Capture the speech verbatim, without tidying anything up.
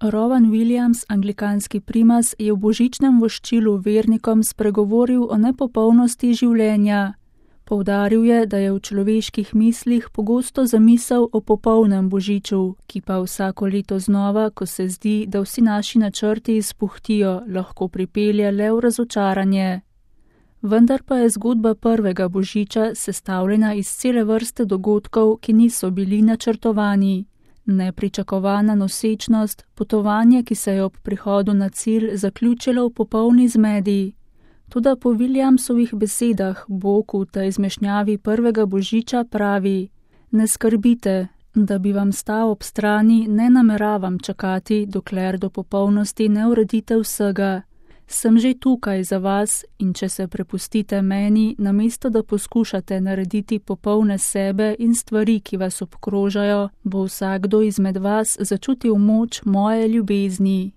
Rowan Williams, anglikanski primas, je v božičnem voščilu vernikom spregovoril o nepopolnosti življenja. Poudaril je, da je v človeških mislih pogosto zamisel o popolnem božiču, ki pa vsako leto znova, ko se zdi, da vsi naši načrti izpuhtijo, lahko pripelje le v razočaranje. Vendar pa je zgodba prvega božiča sestavljena iz cele vrste dogodkov, ki niso bili načrtovani. Nepričakovana nosečnost, potovanje, ki se je ob prihodu na cilj zaključilo v popolni zmedi. Toda po Williamsovih besedah Bog v tej zmešnjavi prvega božiča pravi: ne skrbite, da bi vam stal ob strani, ne nameravam čakati, dokler do popolnosti ne uredite vsega. Sem že tukaj za vas in če se prepustite meni, namesto da poskušate narediti popolne sebe in stvari, ki vas obkrožajo, bo vsakdo izmed vas začutil moč moje ljubezni.